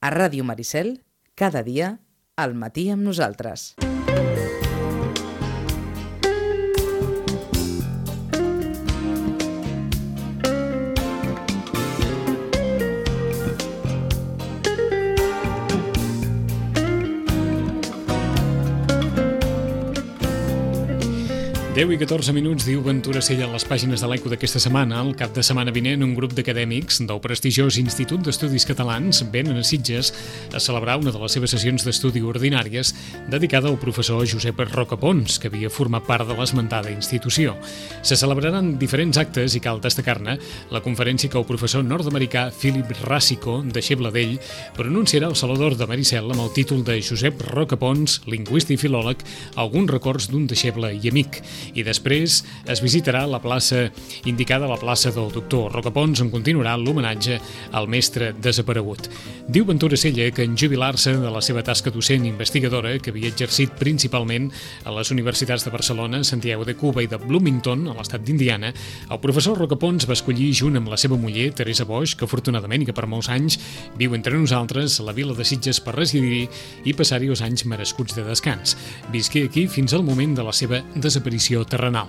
A Ràdio Maricel, cada dia, al matí amb nosaltres. Deu i 14 minuts, diu Ventura Sella a les pàgines de l'Eco d'aquesta setmana. El cap de setmana vinent, un grup d'acadèmics del prestigiós Institut d'Estudis Catalans venen a Sitges a celebrar una de les seves sessions d'estudi ordinàries dedicada al professor Josep Rocapons, que havia format part de l'esmentada institució. Se celebraran diferents actes i cal destacar-ne la conferència que el professor nord-americà Philip Rasico, deixeble d'ell, pronunciarà al Salvador de Maricel amb el títol de Josep Rocapons, lingüista i filòleg, alguns records d'un deixeble i amic. I després es visitarà la plaça indicada a la plaça del doctor Rocapons, on continuarà l'homenatge al mestre desaparegut. Diu Ventura Sella que en jubilar-se de la seva tasca docent investigadora, que havia exercit principalment a les universitats de Barcelona, Santiago de Cuba i de Bloomington, a l'estat d'Indiana, el professor Rocapons va escollir, junt amb la seva muller, Teresa Boix, que afortunadament i que per molts anys viu entre nosaltres, a la vila de Sitges per residir i passar-hi els anys merescuts de descans. Visqué aquí fins al moment de la seva desaparició terrenal.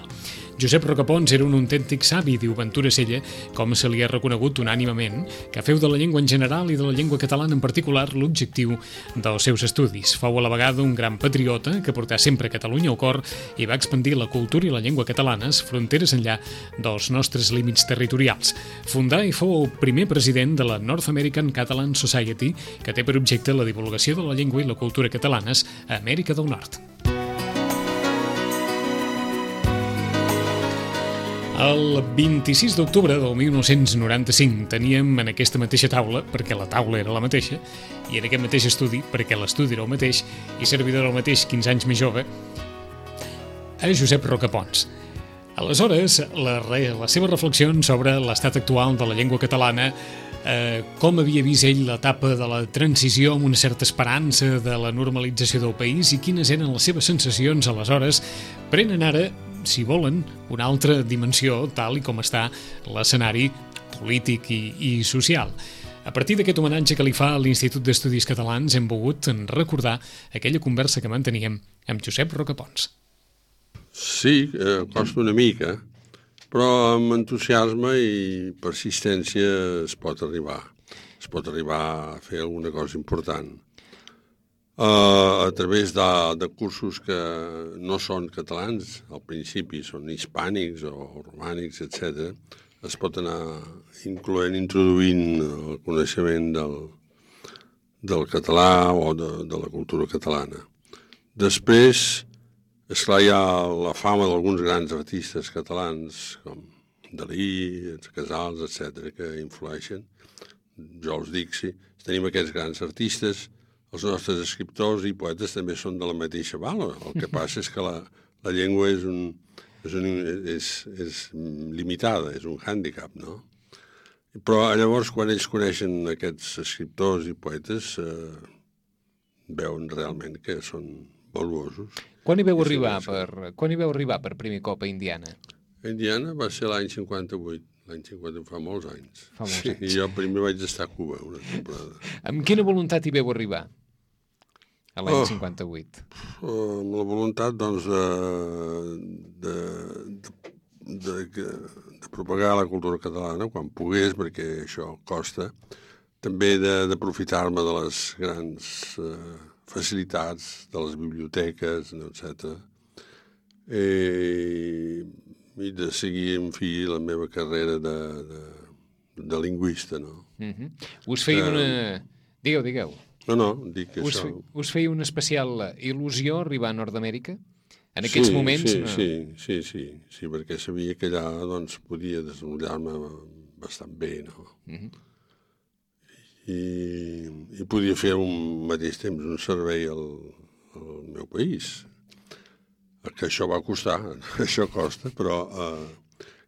Josep Rocapons era un autèntic savi, diu Ventura Sella, com se li ha reconegut unànimament, que feu de la llengua en general i de la llengua catalana en particular l'objectiu dels seus estudis. Fou a la vegada un gran patriota que portà sempre Catalunya al cor i va expandir la cultura i la llengua catalanes fronteres enllà dels nostres límits territorials. Fundà i fou el primer president de la North American Catalan Society, que té per objecte la divulgació de la llengua i la cultura catalanes a Amèrica del Nord. El 26 d'octubre del 1995 teníem en aquesta mateixa taula, perquè la taula era la mateixa, i en aquest mateix estudi, perquè l'estudi era el mateix, i servidor era el mateix, 15 anys més jove, a Josep Rocapons. Aleshores, les seves reflexions sobre l'estat actual de la llengua catalana, com havia vist ell l'etapa de la transició amb una certa esperança de la normalització del país i quines eren les seves sensacions aleshores, prenen ara, si volen, una altra dimensió, tal i com està l'escenari polític i social. A partir d'aquest homenatge que li fa a l'Institut d'Estudis Catalans hem volgut recordar aquella conversa que manteníem amb Josep Rocapons. Sí, costa una mica, però amb entusiasme i persistència es pot arribar a fer alguna cosa important. A través de cursos que no són catalans, al principi són hispànics o romànics, etc., es pot anar introduint el coneixement del català o de la cultura catalana. Després, esclar, hi ha la fama d'alguns grans artistes catalans, com Dalí, Casals, etc., que influeixen. Jo us dic, sí, tenim aquests grans artistes. Els nostres escriptors i poetes també són de la mateixa bala. El que passa és que la llengua és limitada, és un hàndicap, no? Però llavors, quan ells coneixen aquests escriptors i poetes, veuen realment que són valuosos. Quan hi veu arribar per primer cop a Indiana? A Indiana va ser l'any 58. L'any 50 fa molts anys. Sí, i jo primer vaig estar a Cuba una temporada. Amb quina voluntat hi veu arribar a l'any 58? Amb la voluntat, doncs, de propagar la cultura catalana quan pogués, perquè això costa. També d'aprofitar-me de les grans facilitats, de les biblioteques, etc. I de seguir, en fi, la meva carrera de lingüista, no? Us feia una... Digueu. No, dic que això... Us feia una especial il·lusió arribar a Nord-Amèrica? En aquests moments... Sí, perquè sabia que allà, doncs, podia desenvolupar-me bastant bé, no? I podia fer al mateix temps un servei al meu país. Que això va costar, això costa, però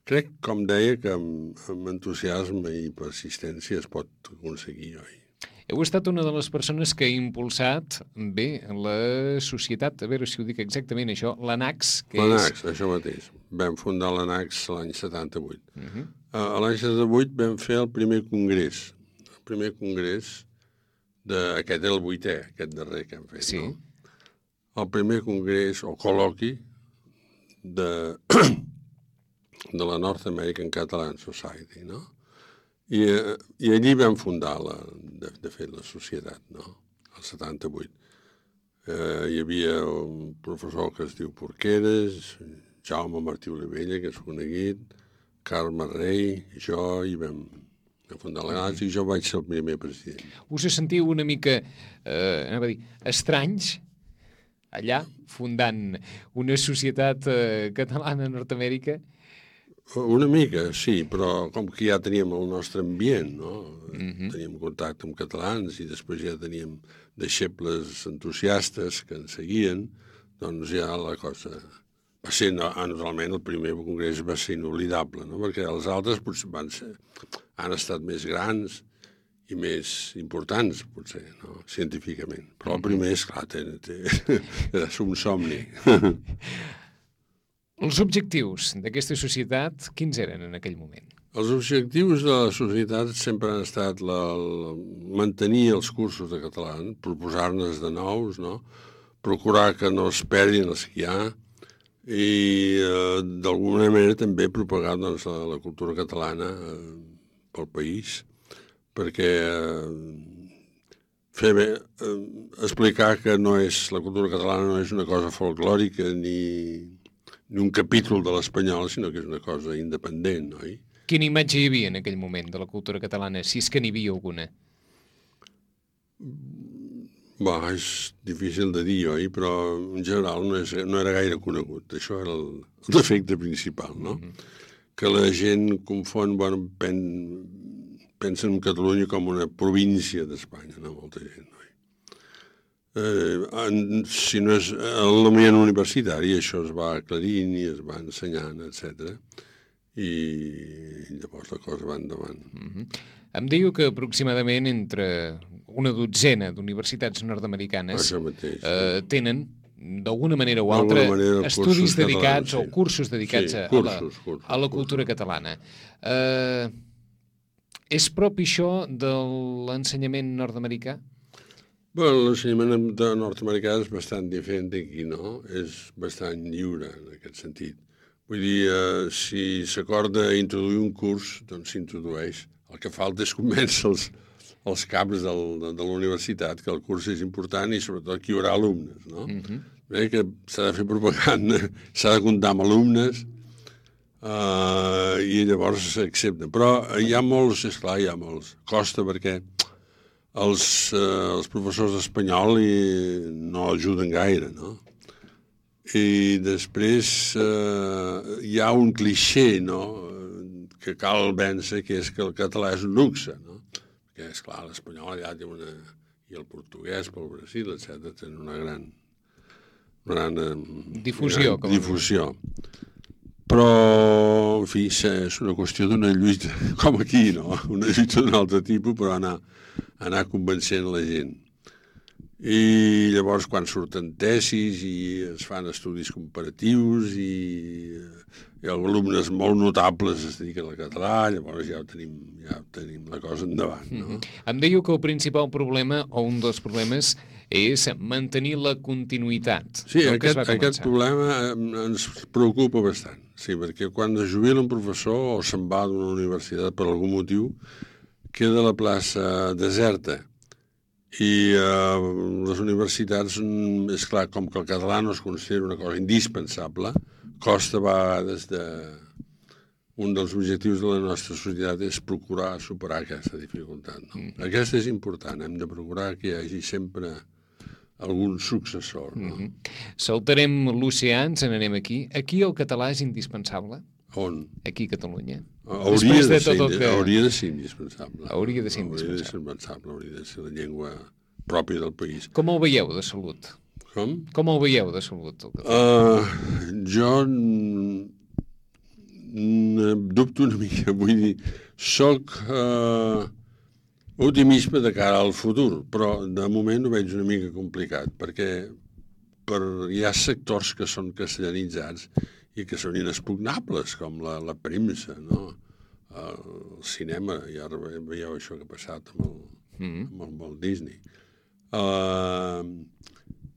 crec, com deia, que amb entusiasme i persistència es pot aconseguir, oi? Heu estat una de les persones que ha impulsat bé la societat, a veure si ho dic exactament això, l'ANACS. L'ANACS, això mateix. Vam fundar l'ANACS l'any 78. A l'any 78 vam fer el primer congrés Aquest era el 8è, aquest darrer que hem fet, Sí. no? El primer congrés o col·loqui de la North American Catalan Society, no? I allí vam fundar, de fet, la societat, no? El 78. Hi havia un professor que es diu Porqueres, Jaume Martí Olivella, que és conegut, Carme Rei, jo, i vam fundar la Galàxia, i jo vaig ser el primer president. Us sentiu una mica, anava a dir, estranys, allà, fundant una societat catalana a Nord-Amèrica? Una mica, sí, però com que ja teníem el nostre ambient, no? Teníem contacte amb catalans i després ja teníem deixebles entusiastes que ens seguien, doncs ja la cosa va ser, naturalment, el primer congrés va ser inoblidable, no? Perquè els altres potser han estat més grans i més importants, potser, no? Científicament. Però el primer, esclar, era un somni. Els objectius d'aquesta societat, quins eren en aquell moment? Els objectius de la societat sempre han estat mantenir els cursos de català, proposar-ne de nous, no? Procurar que no es perdin els que hi ha i, d'alguna manera, també propagar doncs, la cultura catalana pel país, perquè explicar que la cultura catalana no és una cosa folclòrica ni un capítol de l'espanyol, sinó que és una cosa independent, oi? Quina imatge hi havia en aquell moment de la cultura catalana, si és que n'hi havia alguna? És difícil de dir, oi? Però en general no era gaire conegut. Això era el defecte principal, no? Que la gent confon, pensa en Catalunya com una província d'Espanya, no? Molta gent, oi? Si no és en l'ambient universitari, això es va aclarint i es va ensenyant, etc. I llavors la cosa va endavant. Em diu que aproximadament entre una dotzena d'universitats nord-americanes tenen, d'alguna manera o altra, estudis dedicats o cursos dedicats a la cultura catalana. És propi això de l'ensenyament nord-americà? L'ensenyament nord-americà és bastant diferent d'aquí, no? És bastant lliure, en aquest sentit. Vull dir, si s'acorda introduir un curs, doncs s'introdueix. El que falta és convèncer els caps de la universitat que el curs és important i sobretot que hi haurà alumnes, no? Que s'ha de fer propaganda, s'ha de comptar amb alumnes i llavors s'accepta. Però hi ha molts, esclar, costa perquè els professors d'espanyol no ajuden gaire, no? I després hi ha un clixé, no?, que cal vèncer, que és que el català és un luxe, no? Perquè, esclar, l'espanyol allà té i el portuguès pel Brasil, etc., tenen una gran difusió. Però, en fi, és una qüestió d'una lluita, com aquí, no? Una lluita d'un altre tipus, però anar convencent la gent. I llavors, quan surten tesis i es fan estudis comparatius i alumnes molt notables es dediquen al català, llavors ja tenim la cosa endavant, no? Em dèieu que el principal problema, o un dels problemes, és mantenir la continuïtat. Sí, aquest problema ens preocupa bastant, sí, perquè quan es jubila un professor o se'n va d'una universitat per algun motiu, queda la plaça deserta. I les universitats, és clar, com que el català no es considera una cosa indispensable, costa a vegades un dels objectius de la nostra societat és procurar superar aquesta dificultat, no? Aquesta és important, hem de procurar que hi hagi sempre algun successor, no? Saltarem l'oceà, ens n'anem aquí. Aquí el català és indispensable? On? Aquí a Catalunya. Hauria de ser indispensable. Hauria de ser indispensable. Hauria de ser la llengua pròpia del país. Com el veieu de salut? Com? Com el veieu de salut? Jo dubto una mica, vull dir, soc optimisme de cara al futur, però de moment ho veig una mica complicat, perquè hi ha sectors que són castellanitzats i que són inexpugnables, com la premsa, no? El cinema, ja veieu això que ha passat amb amb el Walt Disney.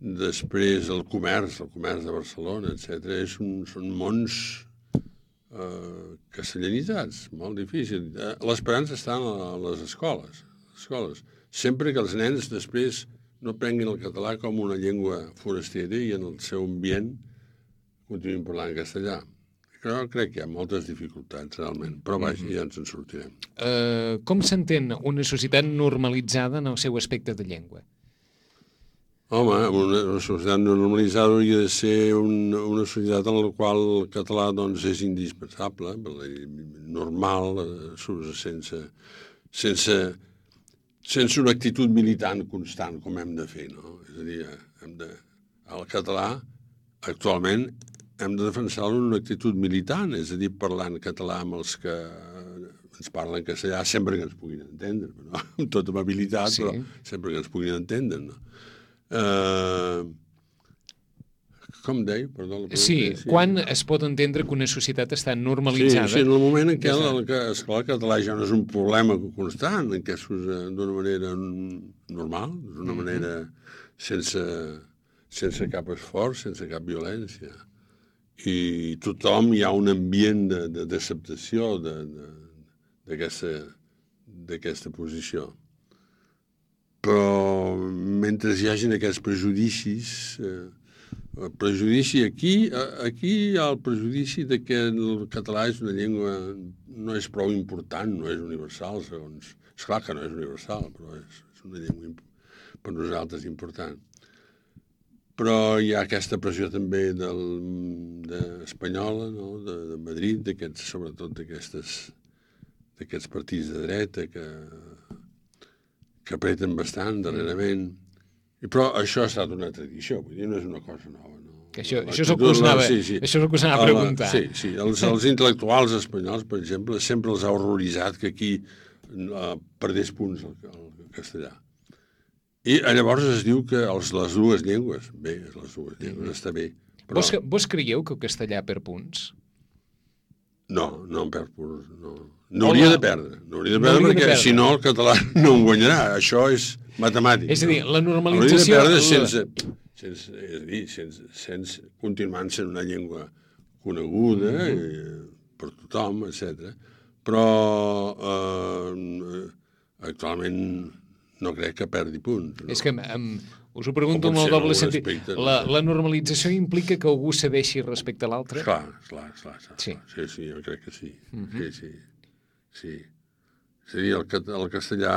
Després el comerç de Barcelona, etc. Són mons castellanitzats, molt difícil. L'esperança està a les escoles. Sempre que els nens després no prenguin el català com una llengua forastera i en el seu ambient continuïn parlant castellà. Però crec que hi ha moltes dificultats, realment. Però vaja, ja ens en sortirem. Com s'entén una societat normalitzada en el seu aspecte de llengua? Home, una societat normalitzada hauria de ser una societat en la qual el català doncs, és indispensable, normal, sense una actitud militant constant, com hem de fer, no? És a dir, el català, actualment, hem de defensar-lo en una actitud militant, és a dir, parlant català amb els que ens parlen castellà, sempre que ens puguin entendre, no? Amb tota amabilitat, però sempre que ens puguin entendre, no? Com deia? Perdó, quan es pot entendre que una societat està normalitzada? Sí, en el moment en què el català ja no és un problema constant, en què s'usa d'una manera normal, d'una manera sense cap esforç, sense cap violència. I tothom hi ha un ambient d'acceptació d'aquesta posició. Però mentre hi hagin aquests prejudicis, el prejudici aquí hi ha el prejudici de que el català és una llengua, no és prou important, no és universal, segons... Esclar que no és universal, però és una llengua per nosaltres important. Però hi ha aquesta pressió també espanyola, no? de Madrid, sobretot d'aquests partits de dreta que apreten bastant darrerament. Però això ha estat una tradició, vull dir, no és una cosa nova. No? Això és el que us anava a preguntar. Sí. Els intel·lectuals espanyols, per exemple, sempre els ha horroritzat que aquí perdés punts el castellà. I llavors es diu que les dues llengües, està bé. Però... Vos creieu que el castellà perd punts? No en perd punts, no. N'hauria de perdre, perquè si no el català no en guanyarà. Això és matemàtic. És a dir, la normalització... Hauria de perdre sense continuant sent una llengua coneguda per tothom, etc. Però actualment no crec que perdi punts. No? És que us ho pregunto amb el doble sentit. La normalització implica que algú cedeixi respecte a l'altre? Clar. Sí, jo crec que sí. Sí. És a dir, el castellà,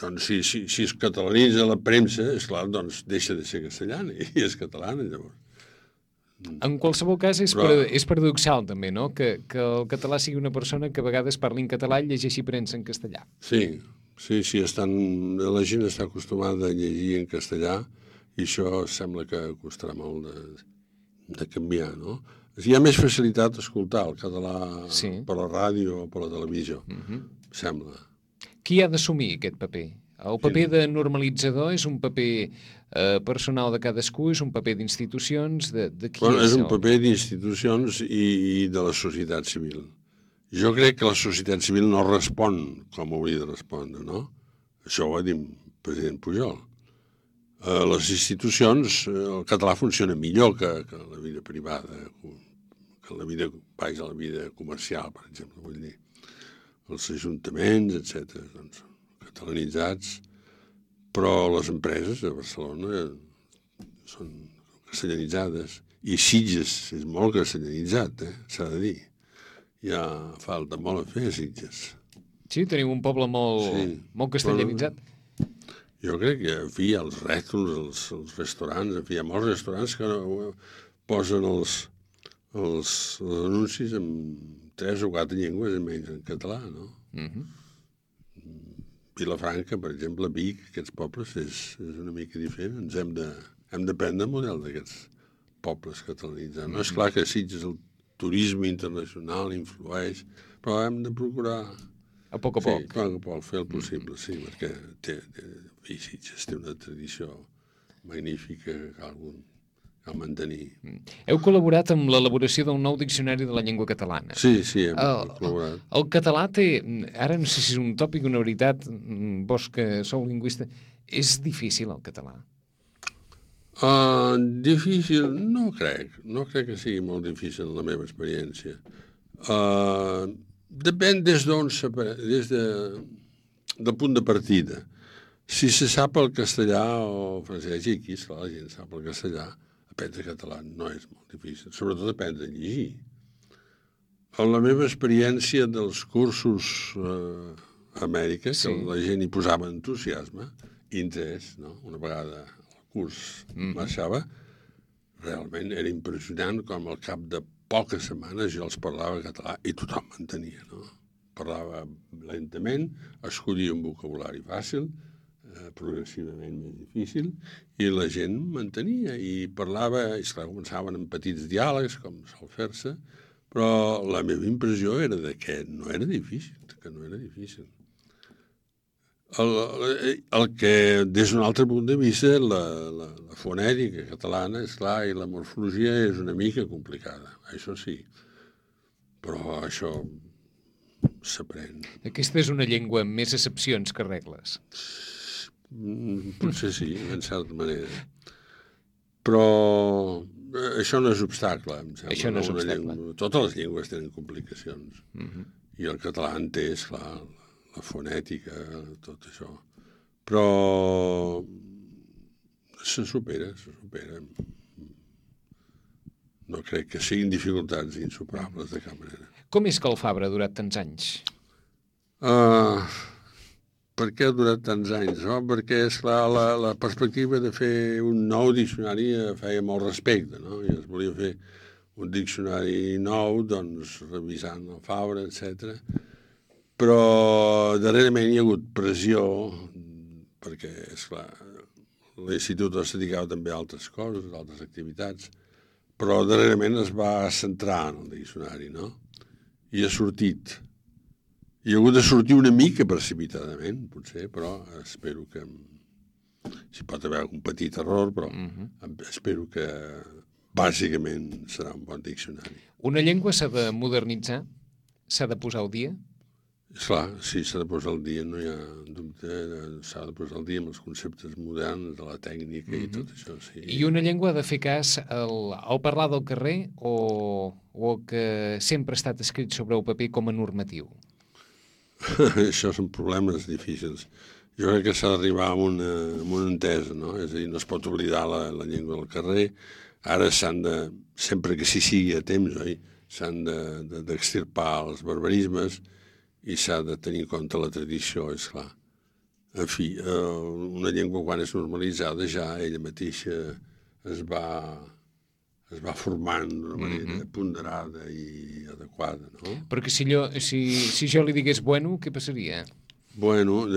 doncs, si es catalanitza la premsa, esclar, doncs deixa de ser castellana i és catalana, llavors. En qualsevol cas, és paradoxal, també, no?, que el català sigui una persona que a vegades parli en català i llegeixi premsa en castellà. Sí, la gent està acostumada a llegir en castellà i això sembla que costarà molt de canviar, no? Hi ha més facilitat d'escoltar el català per la ràdio o per la televisió, sembla. Qui ha d'assumir aquest paper? El paper de normalitzador és un paper personal de cadascú, és un paper d'institucions, de qui és? És un paper d'institucions i de la societat civil. Jo crec que la societat civil no respon com hauria de respondre, no? Això ho va dir el president Pujol. Les institucions, el català funciona millor que la vida privada, que la vida comercial, per exemple, vull dir. Els ajuntaments, etc., doncs, catalanitzats, però les empreses de Barcelona són castellanitzades. I Sitges és molt castellanitzat, s'ha de dir. Hi ha falta molt a fer a Sitges. Sí, teniu un poble molt castellanitzat. Jo crec que, en fi, els rètols, els restaurants, en fi, hi ha molts restaurants que posen els anuncis en 3 o 4 llengües i menys en català, no? Vilafranca, per exemple, Vic, aquests pobles, és una mica diferent. Hem de prendre el model d'aquests pobles catalanitzats. No és clar que Sitges el turisme internacional influeix, però hem de procurar... A poc a poc. Sí, a poc a poc, fer el possible, sí, perquè Sitges té una tradició magnífica que cal mantenir. Heu col·laborat amb l'elaboració d'un nou diccionari de la llengua catalana. Sí, hem col·laborat. El català té, ara no sé si és un tòpic o una veritat, vos que sou lingüista, és difícil el català? Difícil, no crec que sigui molt difícil la meva experiència. Depèn des del punt de partida. Si se sap el castellà o el francès, i aquí, esclar, la gent sap el castellà, aprendre català no és molt difícil, sobretot aprendre a llegir. En la meva experiència dels cursos a Amèrica, que la gent hi posava entusiasme, interès, no? Una vegada el curs marxava, realment era impressionant com al cap de poques setmanes jo els parlava català i tothom m'entenia, no? Parlava lentament, escollia un vocabulari fàcil, progressivament més difícil, i la gent m'entenia i parlava, i esclar, començaven amb petits diàlegs, com sol fer-se, però la meva impressió era que no era difícil, El que, des d'un altre punt de vista, la fonètica catalana, esclar, i la morfologia és una mica complicada, això sí, però això s'aprèn. Aquesta és una llengua amb més excepcions que regles. Potser sí, en certa manera. Però això no és obstacle, em sembla. Això no és obstacle. Totes les llengües tenen complicacions. I el català en té, esclar, la fonètica, tot això. Però se supera. No crec que siguin dificultats insuperables de cap manera. Com és que el Fabra ha durat tants anys? Per què ha durat tants anys? No? Perquè, esclar, la perspectiva de fer un nou diccionari feia molt respecte, no? I es volia fer un diccionari nou, doncs, revisant el Fabra, etc. Però darrerament hi ha hagut pressió, perquè, esclar, l'institut es dedicava també a altres coses, a altres activitats, però darrerament es va centrar en el diccionari, no? I ha sortit. I ha hagut de sortir una mica precipitadament, potser, però espero que... Si pot haver un petit error, però espero que bàsicament serà un bon diccionari. Una llengua s'ha de modernitzar? S'ha de posar al dia? Esclar, sí, s'ha de posar al dia, no hi ha dubte, s'ha de posar al dia amb els conceptes moderns, de la tècnica i tot això, sí. I una llengua ha de fer cas al parlar del carrer o que sempre ha estat escrit sobre el paper com a normatiu? Això són problemes difícils. Jo crec que s'ha d'arribar a una entesa, no? És a dir, no es pot oblidar la llengua del carrer. Ara s'han de, sempre que s'hi sigui a temps, oi? S'han d'extirpar els barbarismes i s'ha de tenir en compte la tradició, és clar. En fi, una llengua quan és normalitzada ja ella mateixa es va formant d'una manera ponderada i adequada, no? Perquè si jo li digués bueno, què passaria? Bueno,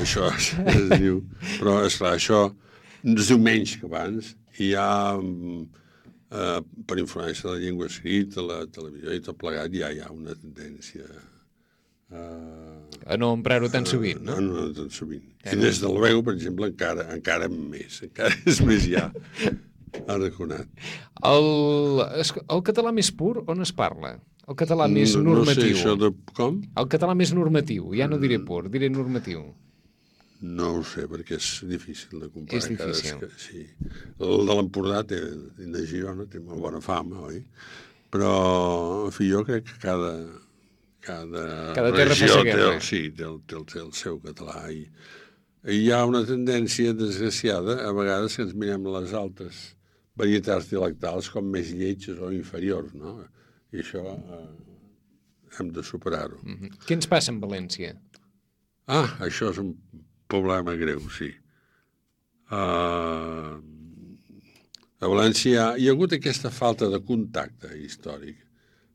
això es diu... Però, esclar, això es diu menys que abans. I hi ha, per influència de la llengua escrita, la televisió i tot plegat, ja hi ha una tendència... A no emprar-ho tan sovint, no? No tan sovint. I des del veu, per exemple, encara més. Encara és més ja... arraconat. El català més pur, on es parla? El català més normatiu. No sé això de... Com? El català més normatiu. Ja no diré pur, diré normatiu. No ho sé, perquè és difícil de comparar. És difícil. Sí. El de l'Empordà de Girona té molt bona fama, oi? Però, en fi, jo crec que cada regió té el seu català. I hi ha una tendència desgraciada, a vegades, que ens mirem les altres varietats dialectals com més lletges o inferiors, no? I això hem de superar-ho. Què ens passa amb València? Això és un problema greu, sí. A València hi ha hagut aquesta falta de contacte històric.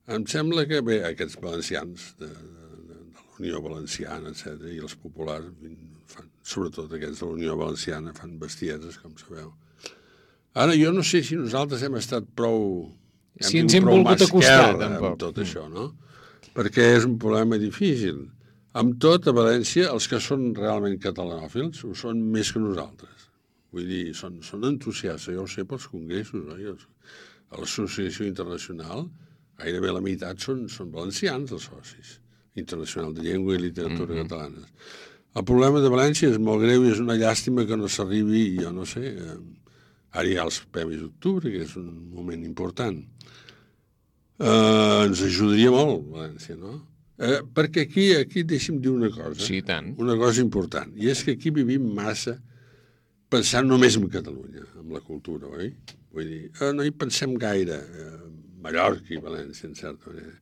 Em sembla que, bé, aquests valencians de la Unió Valenciana, etc., i els populars, sobretot aquests de la Unió Valenciana, fan bestieses, com sabeu. Ara, jo no sé si nosaltres hem estat prou... Si ens hem volgut acostar, tampoc. Amb tot això, no? Perquè és un problema difícil. Amb tot, a València, els que són realment catalanòfils ho són més que nosaltres. Vull dir, són entusiastes, jo ho sé pels congressos, oi? A l'Associació Internacional gairebé la meitat són valencians, els socis, Internacional de Llengua i Literatura catalanes. El problema de València és molt greu i és una llàstima que no s'arribi, jo no sé, ara hi ha els Premis d'Octubre, que és un moment important. Ens ajudaria molt, València, no? Perquè aquí deixi'm dir una cosa. Sí, tant. Una cosa important, i és que aquí vivim massa pensant només en Catalunya, en la cultura, oi? Vull dir, no hi pensem gaire, Mallorca i València, en certa manera.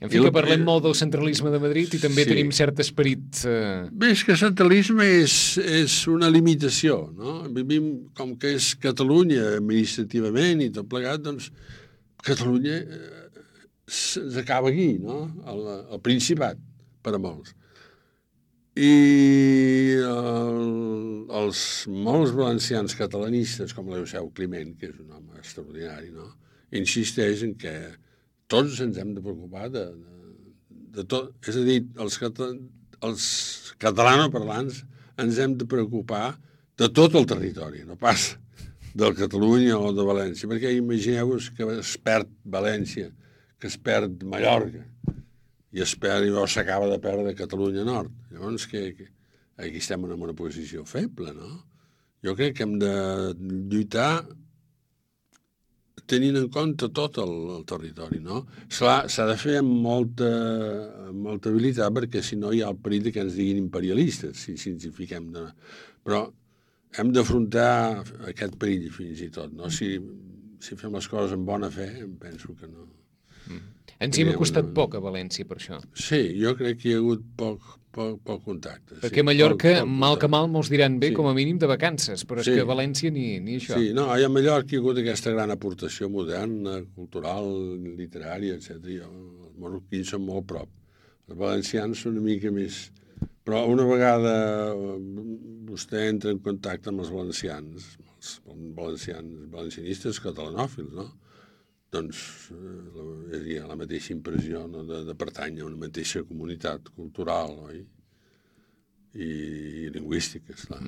En fi, que parlem molt del centralisme de Madrid i també tenim cert esperit... Bé, és que centralisme és una limitació, no? Vivim com que és Catalunya administrativament i tot plegat, doncs Catalunya ens acaba aquí, no? El Principat, per a molts. I els molts valencians catalanistes, com l'Euseu Climent, que és un home extraordinari, no? Insisteix en que tots ens hem de preocupar de tot. És a dir, els catalanoparlants ens hem de preocupar de tot el territori, no pas del Catalunya o de València, perquè imagineu-vos que es perd València, que es perd Mallorca, i s'acaba de perdre Catalunya Nord. Llavors, aquí estem en una posició feble, no? Jo crec que hem de lluitar tenint en compte tot el territori, no? S'ha de fer amb molta habilitat, perquè si no hi ha el perill que ens diguin imperialistes, si ens hi fiquem. Però hem d'afrontar aquest perill fins i tot, no? Si fem les coses amb bona fe, em penso que no. Ens hi hem acostat poc a València, per això. Sí, jo crec que hi ha hagut poc contacte. Perquè Mallorca, mal que mal, molts diran bé, com a mínim de vacances, però és que a València ni això. Sí, no, a Mallorca hi ha hagut aquesta gran aportació moderna, cultural, literària, etc. Els marroquins són molt prop. Els valencians són una mica més... Però una vegada vostè entra en contacte amb els valencians, valencianistes catalanòfils, no? Doncs hi ha la mateixa impressió, no? de pertànyer a una mateixa comunitat cultural, oi? I lingüística, esclar.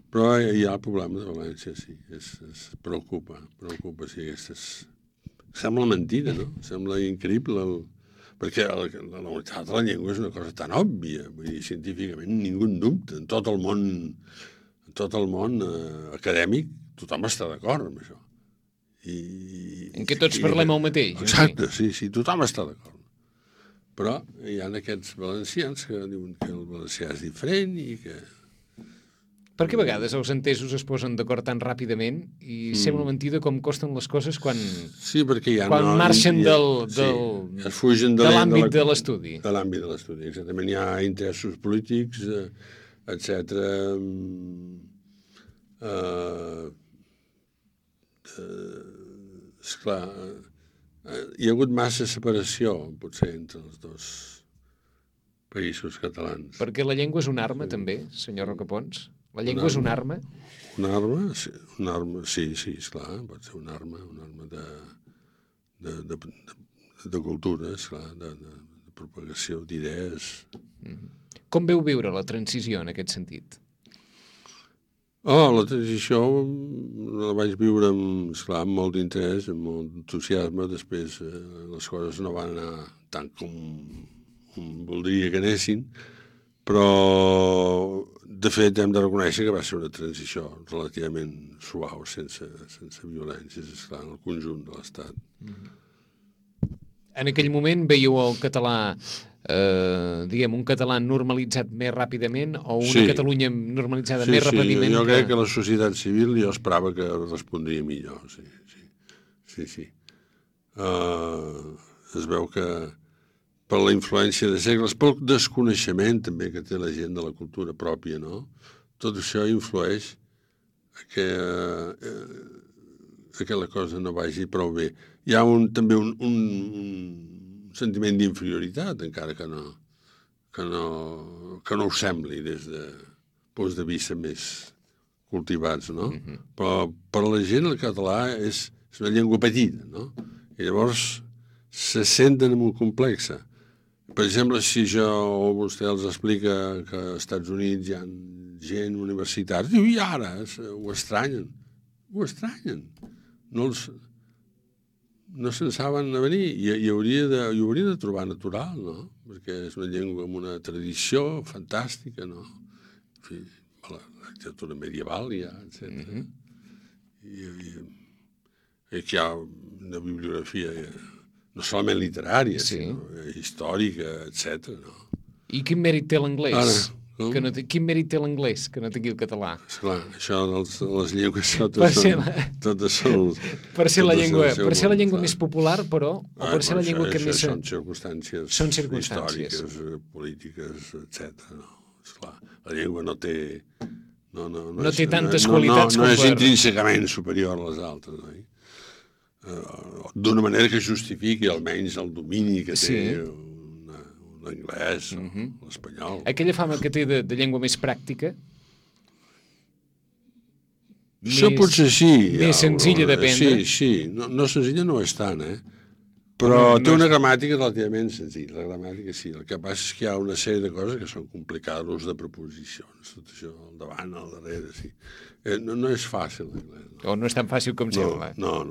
Però hi ha el problema de València, sí, es preocupa, sí, sembla mentida, no? Sembla increïble, perquè la unitat de la llengua és una cosa tan òbvia, vull dir, científicament ningú en dubta, en tot el món acadèmic tothom està d'acord amb això. En què tots parlem el mateix. Exacte, sí, tothom està d'acord. Però hi ha aquests valencians que diuen que el valencià és diferent i que... Perquè a vegades els entesos es posen d'acord tan ràpidament i sembla mentida com costen les coses quan marxen de l'àmbit de l'estudi. De l'àmbit de l'estudi, exactament. Hi ha interessos polítics, etc. Esclar, hi ha hagut massa separació, potser, entre els dos països catalans. Perquè la llengua és una arma, també, senyor Rocapons? La llengua és una arma? Una arma? Sí, esclar, pot ser una arma de cultura, esclar, de propagació d'idees. Com veu viure la transició en aquest sentit? La transició la vaig viure amb molt d'interès, amb molt entusiasme. Després les coses no van anar tant com voldria que anessin, però de fet hem de reconèixer que va ser una transició relativament suau, sense violències, esclar, en el conjunt de l'Estat. En aquell moment veieu el català, un català normalitzat més ràpidament o una Catalunya normalitzada més ràpidament? Jo crec que la societat civil jo esperava que respondria millor, sí. Es veu que per la influència de segles, pel desconeixement també que té la gent de la cultura pròpia, no? Tot això influeix que la cosa no vagi prou bé. Hi ha també un sentiment d'inferioritat, encara que no ho sembli des de punts de vista més cultivats, no? Però per a la gent el català és una llengua petita, no? I llavors se senten molt complexa. Per exemple, si vostè els explica que als Estats Units hi ha gent, universitats, diu, i ara ho estranyen. Ho estranyen. No se'n saben a venir i hauria de trobar natural, no? Perquè és una llengua amb una tradició fantàstica, no? En fi, la literatura medieval ja, etc. I que hi ha una bibliografia no solament literària, sinó històrica, etc. No? I quin mèrit té l'anglès? Ara, Quin mèrit té l'anglès que no tingui el català? Esclar, això de les llengües totes són... Per ser la llengua més popular, però, o per ser la llengua que més... Són circumstàncies històriques, polítiques, etc. No, esclar, la llengua no té... No té tantes qualitats com per... No és intrínsecament superior a les altres, no? D'una manera que justifiqui almenys el domini que té l'anglès, l'espanyol. Aquella fama que té de llengua més pràctica? Això potser sí. Més senzilla d'aprendre? Sí. No senzilla no és tant, però té una gramàtica relativament senzilla. La gramàtica sí. El que passa és que hi ha una sèrie de coses que són complicades, l'ús de preposicions, tot això, al davant, al darrere, sí. No és fàcil, l'anglès. O no és tan fàcil com sembla. No.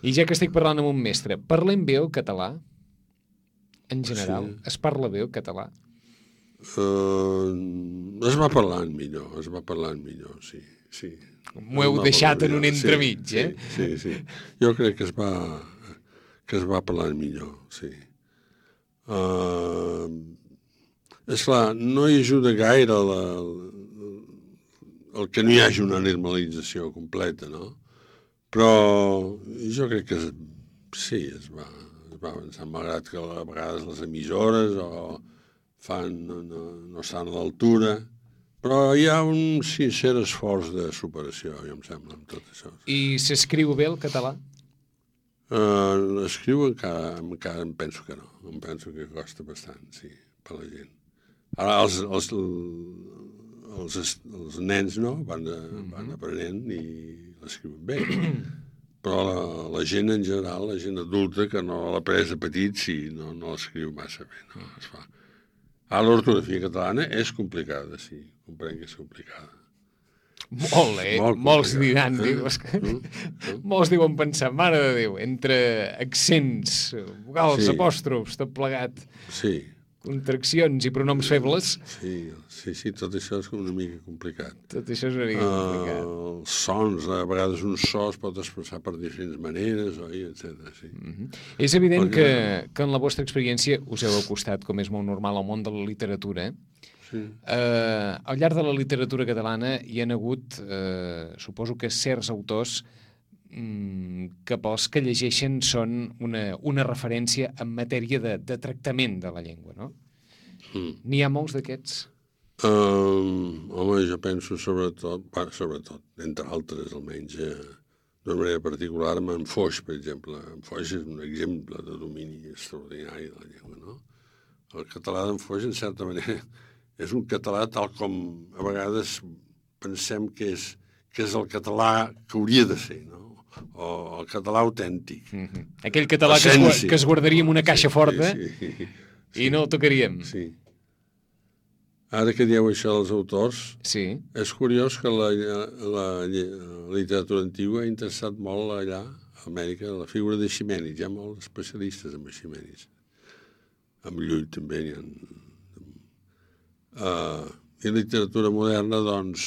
I ja que estic parlant amb un mestre, parlem bé el català? En general, es parla bé el català? Es va parlant millor, sí. M'ho heu deixat en un entremig, Sí. Jo crec que es va parlant millor, sí. Esclar, no hi ajuda gaire el que no hi hagi una normalització completa, no? Però jo crec que sí, es va avançar, malgrat que a vegades les emissores no estan a l'altura, però hi ha un sincer esforç de superació, jo em sembla, amb tot això. I s'escriu bé el català? L'escriu encara em penso que no. Em penso que costa bastant, sí, per la gent. Ara els nens no, van aprenent i l'escriuen bé. Però la gent en general, la gent adulta, que no l'ha pres de petit, sí, no l'escriu massa bé, no es fa. Ara l'ortografia catalana és complicada, sí, comprenc que és complicada. Molts diran, molts diuen pensar, mare de Déu, entre accents, vocals, apòstrofs, tot plegat. Sí. Contraccions i pronoms febles. Sí, tot això és una mica complicat. Els sons, a vegades un so es pot expressar per diferents maneres, etc. Sí. És evident que en la vostra experiència us heu acostat, com és molt normal, al món de la literatura. Sí. Al llarg de la literatura catalana hi ha hagut, suposo que certs autors que pels que llegeixen són una referència en matèria de tractament de la llengua, no? N'hi ha molts d'aquests? Home, jo penso sobretot, entre altres almenys, d'una manera particular, amb en Foix, per exemple. En Foix és un exemple de domini extraordinari de la llengua, no? El català d'en Foix, en certa manera, és un català tal com a vegades pensem que és el català que hauria de ser, no? O el català autèntic. Aquell català que es guardaria en una caixa forta i no el tocaríem. Sí. Ara que dieu això dels autors, és curiós que la literatura antigua ha interessat molt allà, a Amèrica, la figura de Ximenis. Hi ha molts especialistes en Ximenis. Amb Llull també n'hi ha. I la literatura moderna, doncs,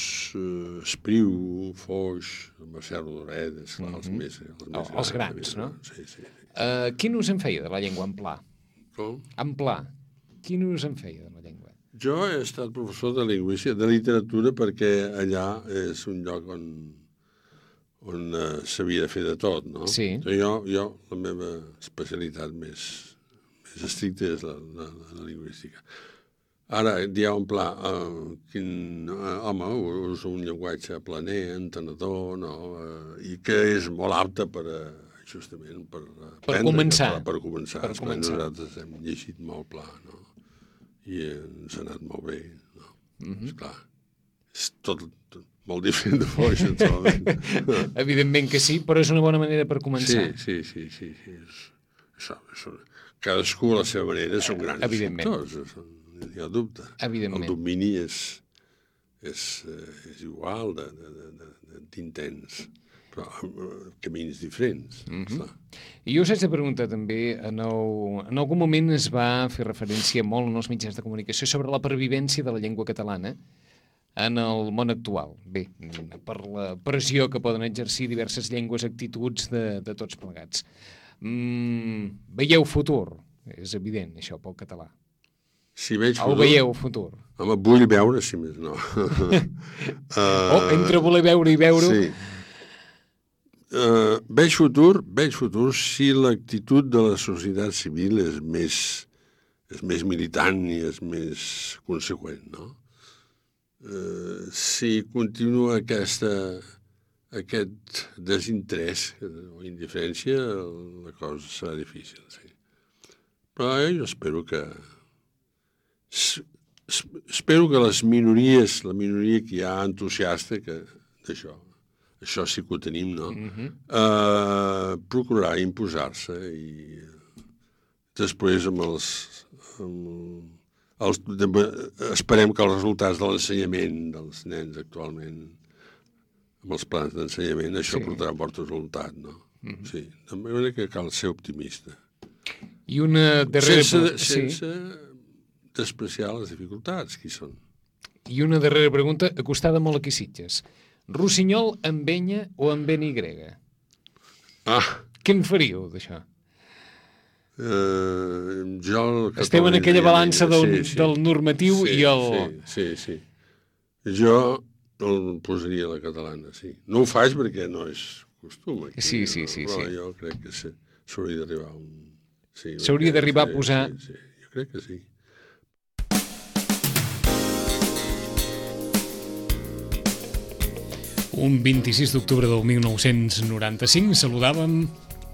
Espriu, Foix, Mercè Rodoreda, els grans, no? Sí. Quin ús en feia de la llengua en pla? Com? En pla. Quin ús en feia de la llengua? Jo he estat professor de lingüística, de literatura, perquè allà és un lloc on s'havia de fer de tot, no? Sí. Jo, la meva especialitat més estricta és la lingüística. Ara, dieu en pla, home, usa un llenguatge planer, entenedor, no? I que és molt apte justament per començar. Per començar. Nosaltres hem llegit molt pla, no? I ens ha anat molt bé, no? Esclar, és tot molt diferent de Foix, naturalment. Evidentment que sí, però és una bona manera per començar. Sí. Cadascú a la seva manera són grans escriptors, no hi ha dubte. Evidentment. El domini és igual d'intens, però amb camins diferents. I jo us haig de preguntar també, en algun moment es va fer referència molt en els mitjans de comunicació sobre la pervivència de la llengua catalana en el món actual. Bé, per la pressió que poden exercir diverses llengües, actituds de tots plegats. Veieu futur? És evident, això, pel català. Si veig futur... El veieu futur? Home, vull veure, si més no. Entre voler veure i veure... Sí. Veig futur si l'actitud de la societat civil és més militant i és més conseqüent, no? Si continua aquest desinterès o indiferència, la cosa serà difícil, sí. Però jo espero que les minories, la minoria que hi ha entusiasta d'això, això sí que ho tenim, no? Procurarà imposar-se i després esperem que els resultats de l'ensenyament dels nens actualment, amb els plans d'ensenyament, això portarà bon resultat, no? Sí, de manera que cal ser optimista. I una darrera... Sense despreciar les dificultats, qui són. I una darrera pregunta, acostada molt aquí Sitges. Rossinyol amb enya o amb N Y? Què en faríeu, d'això? Esteu en aquella balança del normatiu i el... Sí. Jo el posaria a la catalana, sí. No ho faig perquè no és costum aquí. Sí. Però jo crec que s'hauria d'arribar a un... S'hauria d'arribar a posar... Sí, jo crec que sí. Un 26 d'octubre del 1995 saludàvem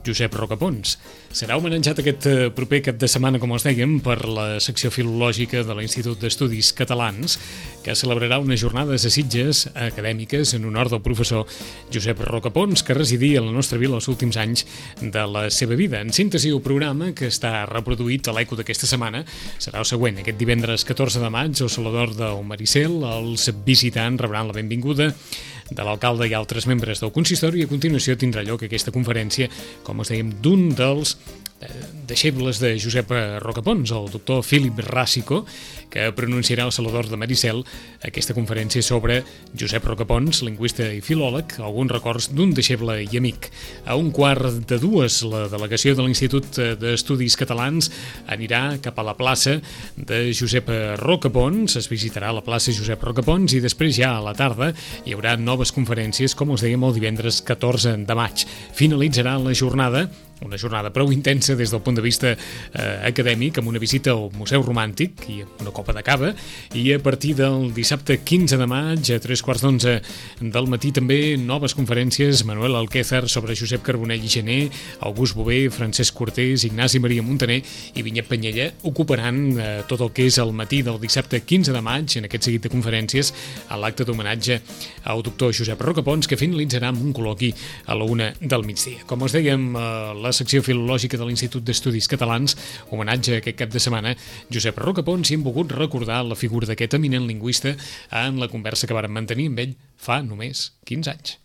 Josep Rocapons. Serà homenatjat aquest proper cap de setmana, com us dèiem, per la secció filològica de l'Institut d'Estudis Catalans, que celebrarà unes jornades a Sitges acadèmiques en honor del professor Josep Rocapons, que residia a la nostra vila els últims anys de la seva vida. En síntesi, el programa, que està reproduït a l'Eco d'aquesta setmana, serà el següent. Aquest divendres 14 de maig, al Salvador del Maricel, els visitants rebran la benvinguda de l'alcalde i altres membres del consistori, i a continuació tindrà lloc aquesta conferència, com us dèiem, d'un dels deixebles de Josep Rocapons, el doctor Philip Ràssico, que pronunciarà al Salvador de Maricel aquesta conferència sobre Josep Rocapons, lingüista i filòleg, alguns records d'un deixeble i amic. A 1:45, la delegació de l'Institut d'Estudis Catalans anirà cap a la plaça de Josep Rocapons, es visitarà la plaça Josep Rocapons i després ja a la tarda hi haurà noves conferències, com us dèiem, el divendres 14 de maig. Finalitzarà la jornada, una jornada prou intensa des del punt de vista acadèmic, amb una visita al Museu Romàntic i una copa de cava, i a partir del dissabte 15 de maig a 3:15 del matí també noves conferències: Manuel Alquézar sobre Josep Carbonell i Gené, August Bové, Francesc Cortés, Ignasi Maria Montaner i Vinyet Penyella ocuparan tot el que és el matí del dissabte 15 de maig en aquest seguit de conferències a l'acte d'homenatge al doctor Josep Rocapons, que finalitzarà amb un col·loqui a la 1 del migdia. Com us dèiem, la secció filològica de l'Institut d'Estudis Catalans, homenatge aquest cap de setmana Josep Rocapons, i hem volgut recordar la figura d'aquest eminent lingüista en la conversa que vàrem mantenir amb ell fa només 15 anys.